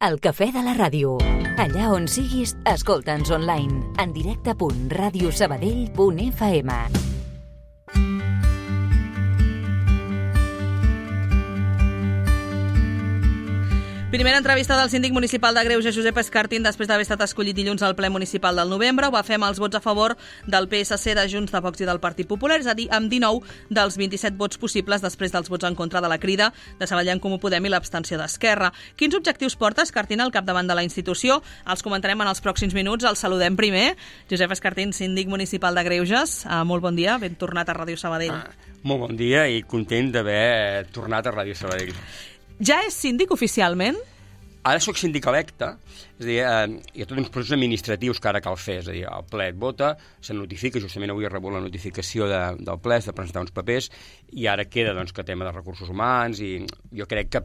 El cafè de la ràdio. Allà on siguis, escolta'ns online. En directe.radiosabadell.fm. Primera entrevista del síndic municipal de Greuges, Josep Escartín, després d'haver estat escollit dilluns al ple municipal del novembre. Ho va fer amb els vots a favor del PSC, de Junts, de Vox i del Partit Popular, és a dir, amb 19 dels 27 vots possibles després dels vots en contra de la Crida, de Sabadell en Comú Podem i l'abstenció d'Esquerra. Quins objectius porta Escartín al capdavant de la institució? Els comentarem en els pròxims minuts. El saludem primer. Josep Escartín, síndic municipal de Greuges. Molt bon dia, ben tornat a Ràdio Sabadell. Molt bon dia i content d'haver tornat a Ràdio Sabadell. Ja és síndic oficialment? Ara sóc síndic electe, és a dir, hi ha tots uns processos administratius que ara cal fer, és a dir, el ple et vota, se notifica, justament avui he rebut la notificació del ple, de presentar uns papers, i ara queda doncs, que tema de recursos humans, i jo crec que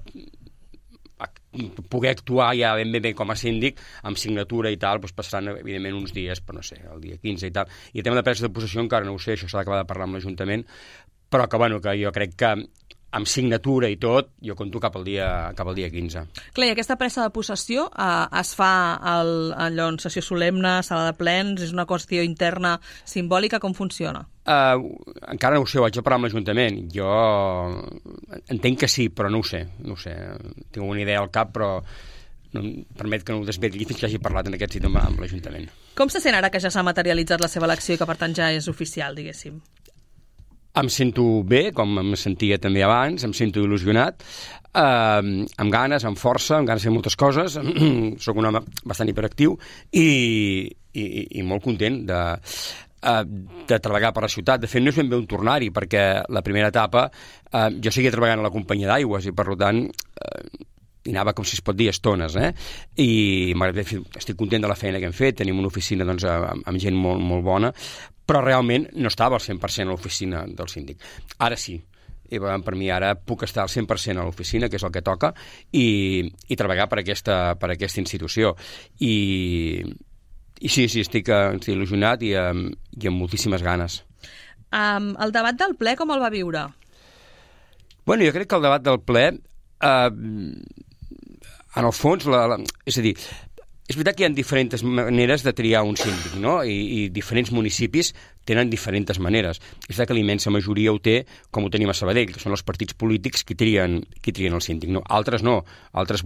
poder actuar ja ben com a síndic, amb signatura i tal, doncs passaran, evidentment, uns dies, però no sé, el dia 15 i tal. I el tema de presa de possessió encara no ho sé, això s'ha d'acabar de parlar amb l'Ajuntament, però que, bueno, que jo crec que amb signatura i tot, jo conto cap al dia 15. Clar, i aquesta presa de possessió es fa allò en sessió solemne, sala de plens, és una qüestió interna simbòlica, com funciona? Encara no ho sé, ho haig de parlar amb l'Ajuntament. Jo entenc que sí, però no ho sé. Tinc una idea al cap, però no em permet que no ho desvetlli fins que hagi parlat en aquest sitio amb l'Ajuntament. Com se sent ara que ja s'ha materialitzat la seva elecció i que per tant ja és oficial, diguéssim? Em sento bé, com em sentia també abans, em sento il·lusionat, amb ganes, amb força, amb ganes de fer moltes coses. Soc un home bastant hiperactiu i molt content de treballar per la ciutat. De fet, no és ben bé un tornar-hi, perquè la primera etapa jo seguia treballant a la companyia d'aigües i, per tant, hi anava, com si es pot dir, estones, i estic content de la feina que hem fet. Tenim una oficina doncs, amb gent molt, molt bona, però realment no estava al 100% a l'oficina del síndic. Ara sí, i per mi ara puc estar al 100% a l'oficina, que és el que toca, i treballar per aquesta institució. I sí, estic il·lusionat i amb moltíssimes ganes. El debat del ple com el va viure? Bueno, jo crec que el debat del ple, en el fons, és a dir, és veritat que hi ha diferents maneres de triar un síndic, no? I diferents municipis tenen diferents maneres. És veritat que la immensa majoria ho té, com ho tenim a Sabadell, que són els partits polítics qui trien el síndic. No, altres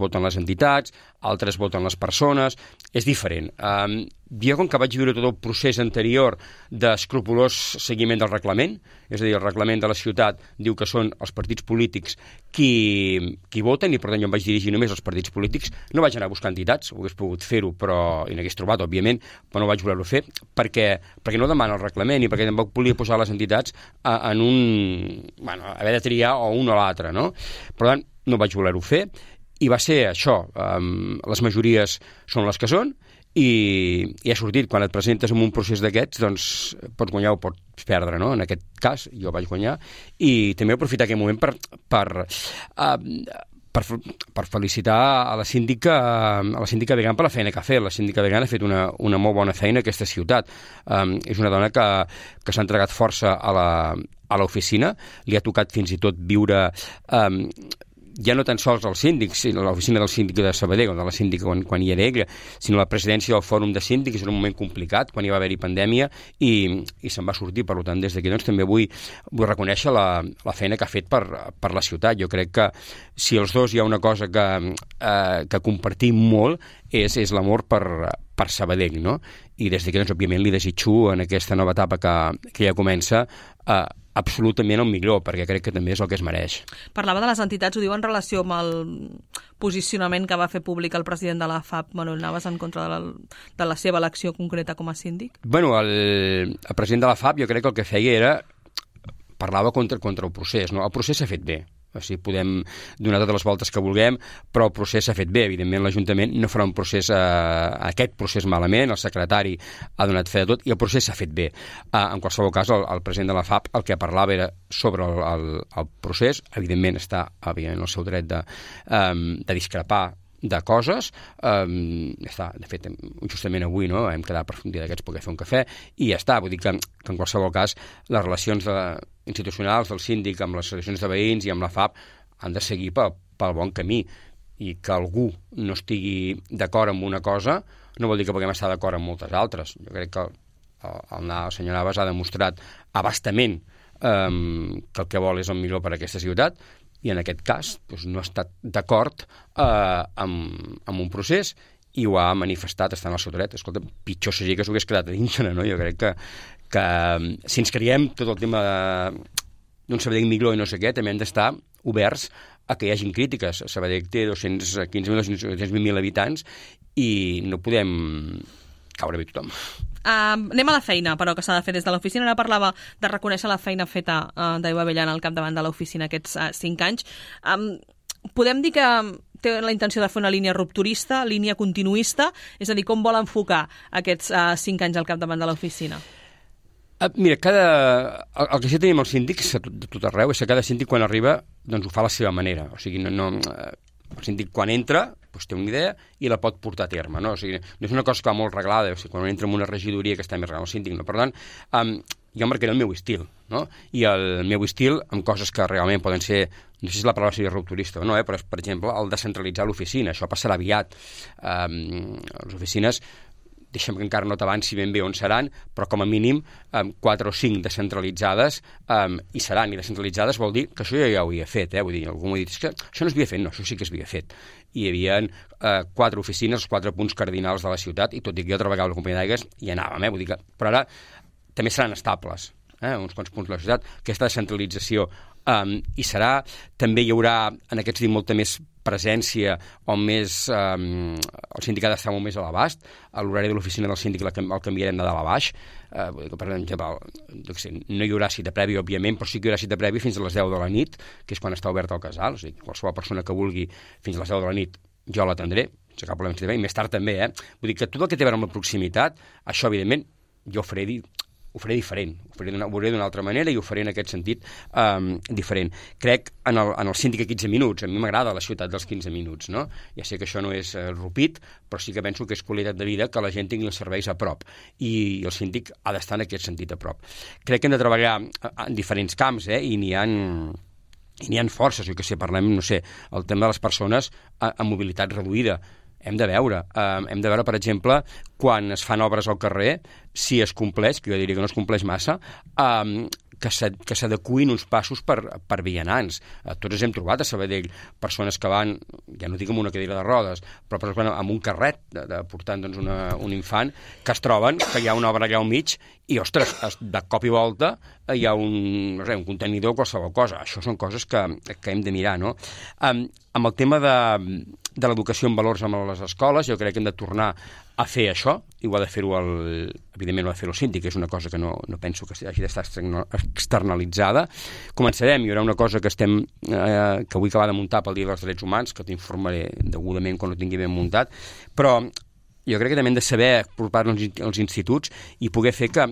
voten les entitats, altres voten les persones, és diferent. Jo, com que vaig viure tot el procés anterior d'escrupolós seguiment del reglament, és a dir, el reglament de la ciutat diu que són els partits polítics qui voten, i per tant jo em vaig dirigir només als partits polítics. No vaig anar a buscar entitats, ho hagués pogut fer-ho, i n'hagués trobat, òbviament, però no vaig voler-ho fer, perquè no demana el reglament i perquè tampoc volia posar les entitats haver de triar o un o l'altre, no? Per tant, no vaig voler-ho fer, i va ser això, les majories són les que són, i ha sortit, quan et presentes en un procés d'aquests, doncs pots guanyar o pots perdre, no? En aquest cas jo vaig guanyar, i també aprofitar aquest moment per felicitar a la síndica Began per la feina que ha fet. La síndica Began ha fet una molt bona feina a aquesta ciutat. És una dona que s'ha entregat força a l'oficina, li ha tocat fins i tot viure ja no tan sols el síndic, sinó l'oficina del síndic de Sabadell, o de la síndica quan hi era ella, sinó la presidència del fòrum de síndics. Era un moment complicat, quan hi va haver-hi pandèmia, i se'n va sortir. Per tant, des d'aquí doncs, també vull reconèixer la feina que ha fet per la ciutat. Jo crec que si els dos hi ha una cosa que compartim molt, és l'amor per Sabadell, no? I des d'aquí, doncs, òbviament, li desitjo en aquesta nova etapa que ja comença absolutament el millor, perquè crec que també és el que es mereix. Parlava de les entitats, ho diu en relació amb el posicionament que va fer públic el president de la FAP, Manuel Navas, en contra de la seva elecció concreta com a síndic? Bueno, el president de la FAP jo crec que el que feia parlava contra el procés, no? El procés s'ha fet bé. O sigui, podem donar totes les voltes que vulguem, però el procés s'ha fet bé. Evidentment, l'Ajuntament no farà aquest procés malament, el secretari ha donat fe de tot, i el procés s'ha fet bé. En qualsevol cas, el president de la FAP el que parlava era sobre el procés. Evidentment, està en el seu dret de discrepar de coses. De fet, justament avui hem quedat per un dia d'aquests poder fer un cafè, i ja està. Vull dir que en qualsevol cas les relacions institucionals del síndic amb les associacions de veïns i amb la FAP han de seguir pel bon camí. i que algú no estigui d'acord amb una cosa no vol dir que puguem estar d'acord amb moltes altres. Jo crec que el senyor Navas ha demostrat abastament que el que vol és el millor per a aquesta ciutat, i en aquest cas doncs, no ha estat d'acord amb un procés i ho ha manifestat estant al seu dret. Escolta, pitjor seria que s'ho hagués quedat a dintre, no? Jo crec que si ens creiem tot el tema d'un Sabadell millor i no sé què, també hem d'estar oberts a que hi hagin crítiques. Sabadell té 215.000 habitants i no podem caure bé tothom. Anem a la feina, però, que s'ha de fer des de l'oficina. Ara parlava de reconèixer la feina feta d'Aigua Avellana al capdavant de l'oficina aquests 5 anys. Podem dir que té la intenció de fer una línia rupturista, línia continuista, és a dir, com vol enfocar aquests 5 anys al capdavant de l'oficina? Mira, el que sí tenim els síndics de tot arreu és que cada síndic quan arriba doncs ho fa a la seva manera. O sigui, el síndic quan entra doncs té una idea i la pot portar a terme, no? O sigui, no és una cosa que va molt reglada, o sigui, quan entra en una regidoria que està més reglada el síndic, no? Per tant, jo marcaré el meu estil, no? I el meu estil amb coses que realment poden ser, no sé si la paraula seria rupturista o no, però per exemple, el descentralitzar l'oficina, això passarà aviat. Les oficines, deixa'm que encara no t'avanci ben bé on seran, però com a mínim 4 o 5 descentralitzades hi seran, i descentralitzades vol dir que això ja ho havia fet, vull dir, algú m'ha dit, és que això no es havia fet, no, això sí que es havia fet. I hi havia 4 oficines, 4 punts cardinals de la ciutat, i tot i que jo treballava a la companyia d'aigües hi anàvem, vull dir que, però ara també seran estables, uns quants punts de la ciutat, aquesta descentralització hi serà, també hi haurà en aquests dies molta més presència o més... el sindicat està molt més a l'abast, l'horari de l'oficina del síndic el canviarem de dalt a baix, per exemple, no hi haurà cita prèvia, òbviament, però sí que hi haurà cita prèvia fins a les 10 de la nit, que és quan està obert el casal, o sigui, qualsevol persona que vulgui fins a les 10 de la nit jo l'atendré, sense cap problema, i més tard també, Vull dir que tot el que té a veure amb la proximitat, això, evidentment, jo ho faré diferent, ho faré d'una altra manera i ho faré en aquest sentit diferent. Crec en el síndic a 15 minuts, a mi m'agrada la ciutat dels 15 minuts, no? Ja sé que això no és rupit, però sí que penso que és qualitat de vida que la gent tingui els serveis a prop, i el síndic ha d'estar en aquest sentit a prop. Crec que hem de treballar en diferents camps, i n'hi ha forces, jo que sé, parlem, no sé, el tema de les persones amb mobilitat reduïda. Hem de veure, per exemple, quan es fan obres al carrer, si es compleix, que jo diria que no es compleix massa, que s'adecuïn uns passos per vianants. Tots ens hem trobat a Sabadell persones que van, ja no dic amb una cadira de rodes, però per exemple amb un carret portant doncs, un infant, que es troben que hi ha una obra allà al mig i, ostres, de cop i volta hi ha un contenidor o qualsevol cosa. Això són coses que hem de mirar, no? Amb el tema de l'educació en valors a les escoles, jo crec que hem de tornar a fer això, i ho ha de fer-ho evidentment ho ha de fer el síndic, que és una cosa que no penso que hagi d'estar externalitzada. Començarem, hi haurà una cosa que vull acabar de muntar pel Dia dels Drets Humans, que t'informaré degudament quan ho tingui ben muntat, però jo crec que també hem de saber apropar-nos als instituts i poder fer que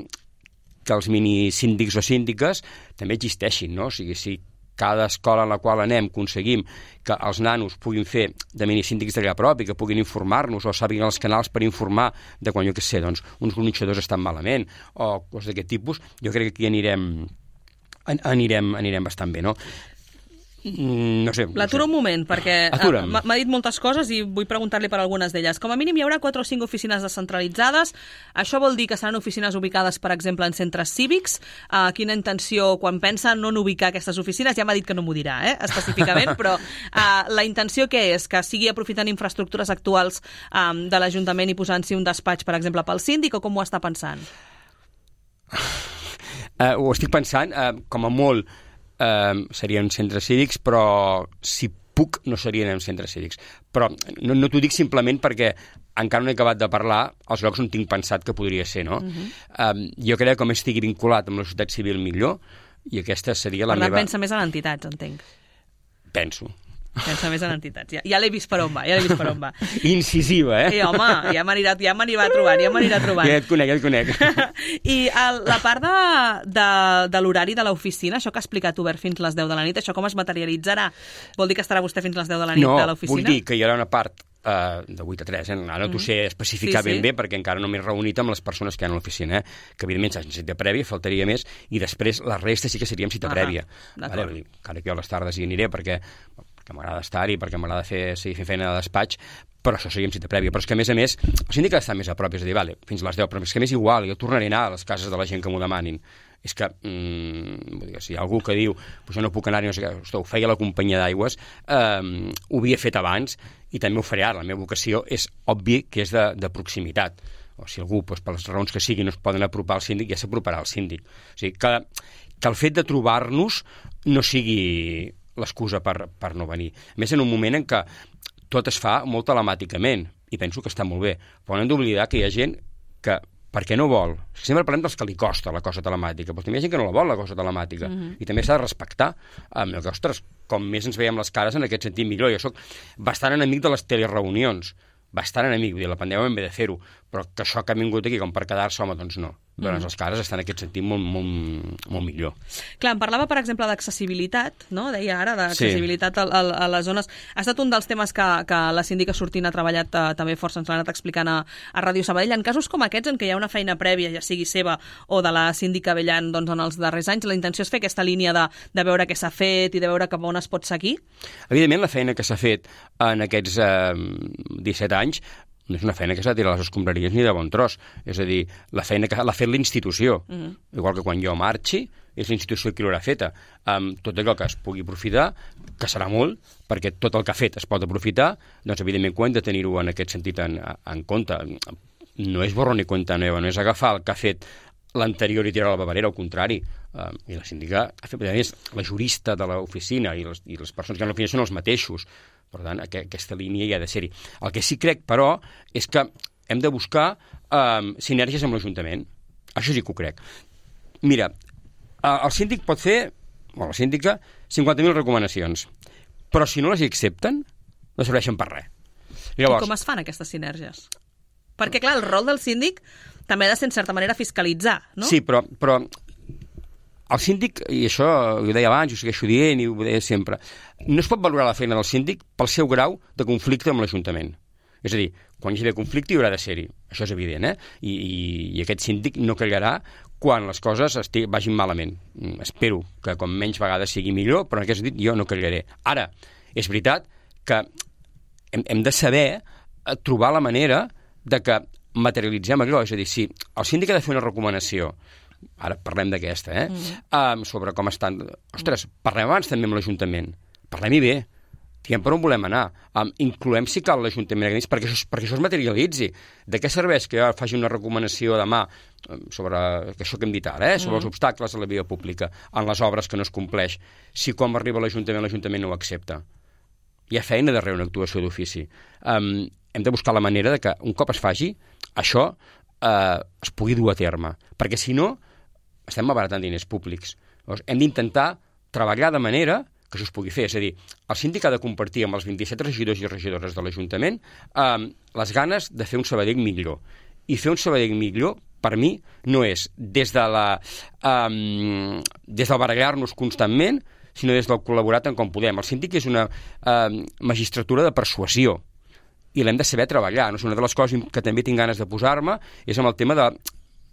els minisíndics o síndiques també existeixin, no? O sigui, si cada escola en la qual anem aconseguim que els nanos puguin fer de minisíndics d'allà a prop i que puguin informar-nos o sàpiguen els canals per informar de quan, jo què sé, doncs, uns gronxadors estan malament o coses d'aquest tipus, jo crec que aquí anirem bastant bé, no? No sé. L'aturo un moment, perquè m'ha dit moltes coses i vull preguntar-li per algunes d'elles. Com a mínim hi haurà 4 o 5 oficines descentralitzades. Això vol dir que seran oficines ubicades, per exemple, en centres cívics. Quina intenció, quan pensa no en ubicar aquestes oficines, ja m'ha dit que no m'ho dirà, específicament, però la intenció què és? Que sigui aprofitant infraestructures actuals de l'Ajuntament i posant-s'hi un despatx, per exemple, pel síndic, o com ho està pensant? Ho estic pensant, com a molt, serien centres cívics, però si puc no serien en centres cívics. Però no t'ho dic simplement perquè encara no he acabat de parlar els llocs on tinc pensat que podria ser, no? Jo crec que com estigui vinculat amb la societat civil millor, i aquesta seria la meva... Per tant, pensa més en entitats, entenc. Pensa més en entitats. Ja l'he vist per on va, Incisiva, home, ja m'anirà trobant. Ja et conec. I la part de l'horari de l'oficina, això que ha explicat obert fins les 10 de la nit, això com es materialitzarà? Vol dir que estarà vostè fins les 10 de la nit de l'oficina? No, vull dir que hi haurà una part de 8 a 3, ara no t'ho sé especificar ben bé perquè encara no m'he reunit amb les persones que hi ha a l'oficina, que evidentment s'ha cita prèvia, faltaria més, i després la resta sí que seria amb cita prèvia. Encara que jo a les tardes hi aniré perquè perquè m'agrada estar-hi, perquè m'agrada fer feina de despatx, però això seria amb cita prèvia. Però és que, a més, el síndic ha d'estar més a prop, és a dir, vale, fins a les 10, però és que m'és igual, jo tornaré a anar a les cases de la gent que m'ho demanin. És que, si hi ha algú que diu jo no puc anar-hi, no sé què, ho feia la companyia d'aigües, ho havia fet abans i també ho faré ara. La meva vocació és obvi que és de proximitat. O si algú, per les raons que sigui, no es poden apropar al síndic, ja s'aproparà al síndic. O sigui, que el fet de trobar-nos no sigui l'excusa per no venir. A més, en un moment en què tot es fa molt telemàticament, i penso que està molt bé, però no hem d'oblidar que hi ha gent que, perquè no vol, sempre parlem dels que li costa la cosa telemàtica, però també hi ha gent que no la vol, la cosa telemàtica, i també s'ha de respectar. Ostres, com més ens veiem les cares, en aquest sentit millor. Jo soc bastant enemic de les telereunions, bastant enemic, vull dir, la pandèmia hem de fer-ho, però que això que ha vingut aquí com per quedar-se, home, doncs no. Doncs les cares estan en aquest sentit molt millor. Clar, em parlava, per exemple, d'accessibilitat, no? Deia ara, d'accessibilitat a les zones. Ha estat un dels temes que la síndica sortint ha treballat també força, ens l'ha anat explicant a Ràdio Sabadell. En casos com aquests, en què hi ha una feina prèvia, ja sigui seva o de la síndica Bellan, doncs en els darrers anys, la intenció és fer aquesta línia de veure què s'ha fet i de veure cap on es pot seguir? Evidentment, la feina que s'ha fet en aquests 17 anys no és una feina que s'ha de tirar les escombraries ni de bon tros. És a dir, la feina que l'ha fet l'institució. Igual que quan jo marxi, és l'institució qui l'haurà feta. Tot allò que es pugui aprofitar, que serà molt, perquè tot el que ha fet es pot aprofitar, doncs evidentment ho hem de tenir-ho en aquest sentit en compte. No és borrón ni cuenta nueva, no és agafar el que ha fet l'anterior i tirar a la paperera, al contrari. I la síndica ha fet, a més, la jurista de l'oficina i les persones que han l'oficina són els mateixos. Per tant, aquesta línia hi ha de ser-hi. El que sí crec, però, és que hem de buscar sinergies amb l'Ajuntament. Això sí que ho crec. Mira, el síndic pot fer, o la síndica, 50.000 recomanacions, però si no les hi accepten, no serveixen per res. Llavors, i com es fan aquestes sinergies? Perquè, clar, el rol del síndic també ha de ser, en certa manera, fiscalitzar, no? Sí, però el síndic, i això ho deia abans, ho segueixo dient i ho deia sempre, no es pot valorar la feina del síndic pel seu grau de conflicte amb l'Ajuntament. És a dir, quan hi hagi conflicte hi haurà de ser-hi. Això és evident, I aquest síndic no callarà quan les coses vagin malament. Espero que com menys vegades sigui millor, però en aquest sentit jo no callaré. Ara, és veritat que hem de saber trobar la manera de que materialitzem allò. És a dir, si el síndic ha de fer una recomanació, ara parlem d'aquesta, sobre com estan... Ostres, parlem abans també amb l'Ajuntament. Parlem-hi bé. Diguem per on volem anar. Incloem, si cal, l'Ajuntament perquè això es materialitzi. De què serveix que jo faci una recomanació demà sobre això que hem dit ara, sobre els obstacles a la via pública, en les obres que no es compleix, si quan arriba a l'Ajuntament no ho accepta? Hi ha feina darrere una actuació d'ofici. Hem de buscar la manera de que, un cop es faci, això es pugui dur a terme. Perquè, si no, estem malbaratant diners públics. Llavors, hem d'intentar treballar de manera que això es pugui fer. És a dir, el síndic ha de compartir amb els 27 regidors i regidores de l'Ajuntament les ganes de fer un Sabadell millor. I fer un Sabadell millor, per mi, no és des del barallar-nos constantment, sinó des del col·laborar tant com podem. El síndic és una magistratura de persuasió i l'hem de saber treballar. No? Una de les coses que també tinc ganes de posar-me és amb el tema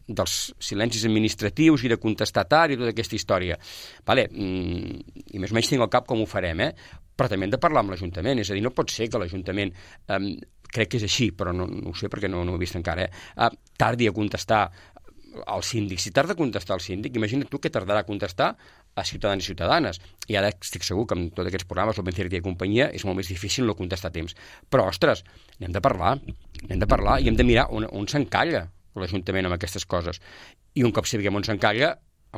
dels silencis administratius i de contestar tard i tota aquesta història. Vale, i més o menys tinc al cap com ho farem, però també hem de parlar amb l'Ajuntament. És a dir, no pot ser que l'Ajuntament, crec que és així, però no ho sé perquè no ho he vist encara, tardi a contestar al síndic. Si tarda a contestar al síndic, imagina't tu què tardarà a contestar a ciutadans i ciutadanes. I ara estic segur que amb tots aquests programes, l'Open Theory i companyia, és molt més difícil no contestar a temps. Però, ostres, n'hem de parlar i hem de mirar on s'encalla l'Ajuntament amb aquestes coses. I un cop sapiguem on s'encalla,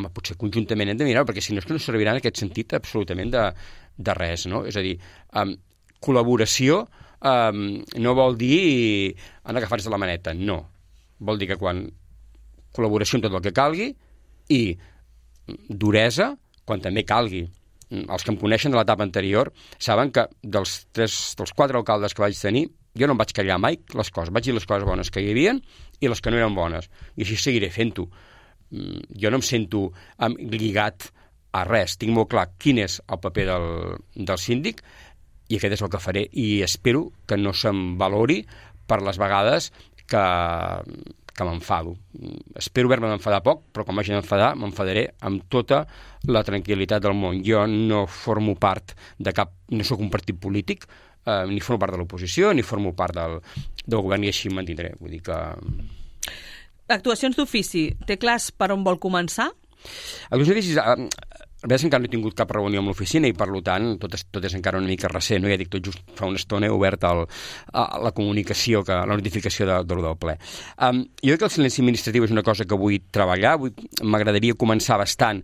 potser conjuntament hem de mirar, perquè si no és que no servirà en aquest sentit absolutament de res, no? És a dir, col·laboració no vol dir anar agafats de la maneta, no. Vol dir que quan col·laboració en tot el que calgui i duresa quan també calgui. Els que em coneixen de l'etapa anterior saben que dels 4 alcaldes que vaig tenir, jo no em vaig callar mai les coses. Vaig dir les coses bones que hi havia i les que no eren bones. I així seguiré fent-ho. Jo no em sento lligat a res. Tinc molt clar quin és el paper del síndic i aquest és el que faré. I espero que no se'm valori per les vegades que m'enfado. Espero haver-me d'enfadar poc, però quan m'hagi d'enfadar, m'enfadaré amb tota la tranquil·litat del món. Jo no formo part de cap... no sóc un partit polític, ni formo part de l'oposició, ni formo part del govern, i així em mantindré. Vull dir que... Actuacions d'ofici, té clars per on vol començar? Actuacions d'ofici... La veritat és que encara no he tingut cap reunió amb l'oficina i, per tant, tot és encara una mica recent. No? Ja dic, tot just fa una estona he obert la comunicació, la notificació de del ple. Jo crec que el silenci administratiu és una cosa que vull treballar. M'agradaria començar bastant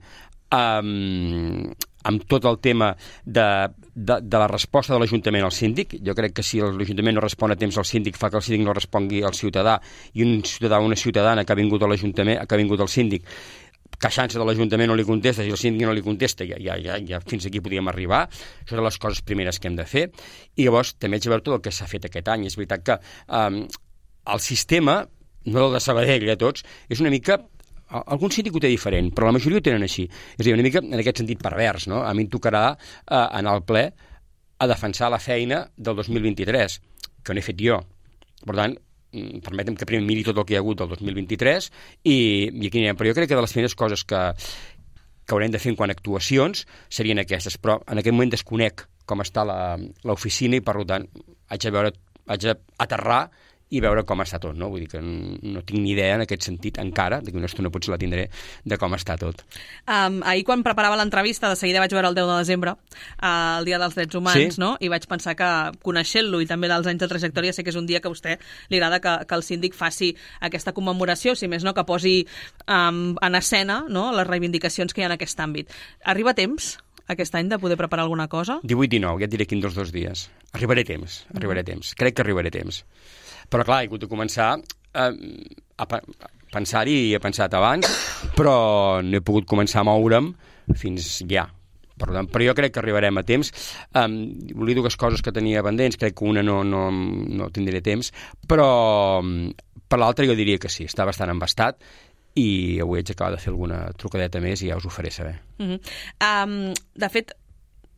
amb tot el tema de la resposta de l'Ajuntament al síndic. Jo crec que si l'Ajuntament no respon a temps al síndic, fa que el síndic no respongui al ciutadà, i un ciutadà o una ciutadana que ha vingut a l'Ajuntament, que ha vingut al síndic, queixant-se de l'Ajuntament no li contesta, si el síndic no li contesta, ja fins aquí podíem arribar. Això són les coses primeres que hem de fer. I llavors també haig de veure tot el que s'ha fet aquest any. És veritat que el sistema, no el de Sabadell, tots, és una mica... Algun síndic ho té diferent, però la majoria ho tenen així. És a dir, una mica en aquest sentit pervers, no? A mi em tocarà anar al ple a defensar la feina del 2023, que no he fet jo. Per tant, permetem que primer miri tot el que hi ha hagut del 2023 i aquí anirem. Però jo crec que de les primeres coses que haurem de fer en quant a actuacions serien aquestes, però en aquest moment desconec com està l'oficina i, per tant, haig d'aterrar i veure com està tot, no? Vull dir que no tinc ni idea en aquest sentit encara, d'aquí una estona potser la tindré, de com està tot. Ahir quan preparava l'entrevista, de seguida vaig veure el 10 de desembre, el Dia dels Drets Humans, sí? No? I vaig pensar que, coneixent-lo i també dels anys de trajectòria, sé que és un dia que a vostè li agrada que el síndic faci aquesta commemoració, si més no, que posi en escena, no?, les reivindicacions que hi ha en aquest àmbit. Arriba temps aquest any de poder preparar alguna cosa? 18-19, ja et diré quin dels 2 dies. Arribaré temps. Crec que arribaré temps. Però, clar, he hagut de començar a pensar-hi i he pensat abans, però no he pogut començar a moure'm fins ja. Però jo crec que arribarem a temps. Volia 2 coses que tenia pendents, crec que una no tindré temps, però per l'altra jo diria que sí, està bastant embastat i avui haig d'acabar de fer alguna trucadeta més i ja us ho faré saber. De fet,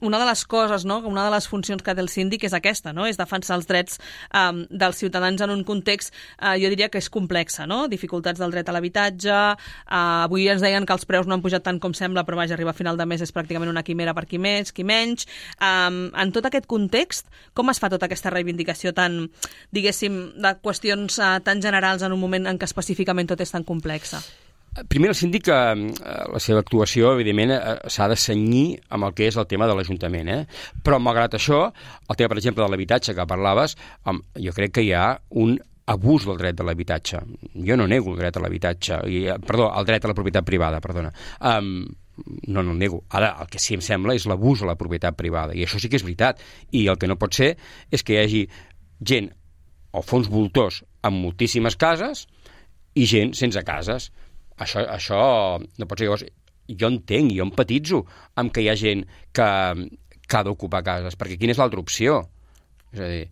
una de les coses, no?, una de les funcions que té el síndic és aquesta, no?, és defensar els drets dels ciutadans en un context, jo diria que és complexa, no?, dificultats del dret a l'habitatge, avui ens deien que els preus no han pujat tant com sembla, però vaja, arribar a final de mes és pràcticament una quimera per qui més, qui menys. En tot aquest context, com es fa tota aquesta reivindicació tan, diguéssim, de qüestions tan generals en un moment en què específicament tot és tan complexa? Primer, el síndic, la seva actuació, evidentment, s'ha de cenyir amb el que és el tema de l'Ajuntament, Però, malgrat això, el tema, per exemple, de l'habitatge que parlaves, jo crec que hi ha un abús del dret de l'habitatge. Jo no nego el dret a l'habitatge, perdó, el dret a la propietat privada, perdona. No el nego. Ara, el que sí em sembla és l'abús de la propietat privada, i això sí que és veritat. I el que no pot ser és que hi hagi gent o fons voltors amb moltíssimes cases i gent sense cases. Això no pot ser. Llavors, jo entenc, jo empatitzo amb que hi ha gent que ha d'ocupar cases, perquè quina és l'altra opció? És a dir,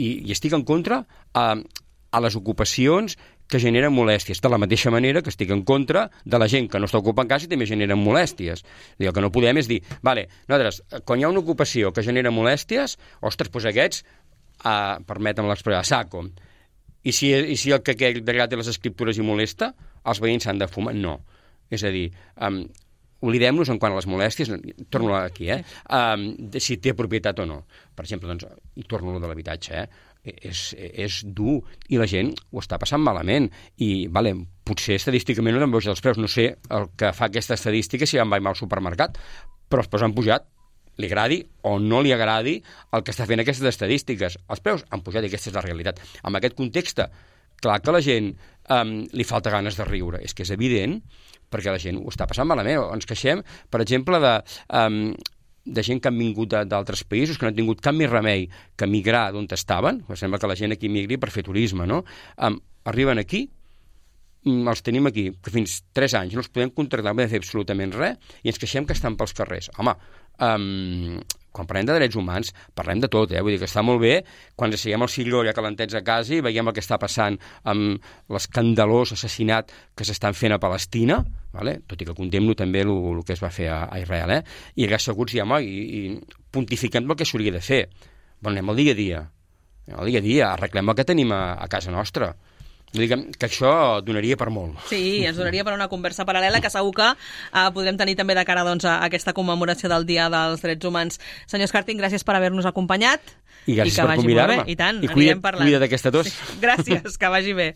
i estic en contra a les ocupacions que generen molèsties, de la mateixa manera que estic en contra de la gent que no està ocupant casa i també generen molèsties. El que no podem és dir, vale, nosaltres, quan hi ha una ocupació que genera molèsties, ostres, doncs aquests, permetem l'expressió, a saco. I si el que aquell d'allà té les escriptures i molesta, els veïns s'han de fumar? No. És a dir, oblidem-nos en quant a les molèsties, torno aquí, si té propietat o no. Per exemple, doncs, i torno a lo de l'habitatge, és dur i la gent ho està passant malament i potser estadísticament no han pujat els preus, no sé el que fa aquesta estadística si va al supermercat, però els preus han pujat, li agradi o no li agradi el que està fent aquestes estadístiques. Els preus han pujat i aquesta és la realitat. En aquest context, clar que a la gent li falta ganes de riure, és que és evident, perquè la gent ho està passant malament. Ens queixem, per exemple, de gent que han vingut d'altres països, que no han tingut cap més remei que migrar d'on estaven. Sembla que la gent aquí migri per fer turisme, no? Arriben aquí, els tenim aquí, que fins 3 anys no els podem contractar, no podem fer absolutament res, i ens queixem que estan pels carrers. Home, quan parlem de drets humans, parlem de tot, vull dir que està molt bé quan ens asseiem al silló ja calentets a casa i veiem el que està passant amb l'escandalós assassinat que s'estan fent a Palestina, tot i que condemno també el que es va fer a Israel, i allà asseguts diem, i pontifiquem el que s'hauria de fer. Anem al dia a dia, arreglem el que tenim a casa nostra. Diguem que això donaria per molt. Sí, ens donaria per una conversa paral·lela que segur que podrem tenir també de cara doncs, a aquesta commemoració del Dia dels Drets Humans. Senyor Escartín, gràcies per haver-nos acompanyat. I gràcies per convidar-me. I tant, I cuida't d'aquesta tos. Sí. Gràcies, que vagi bé.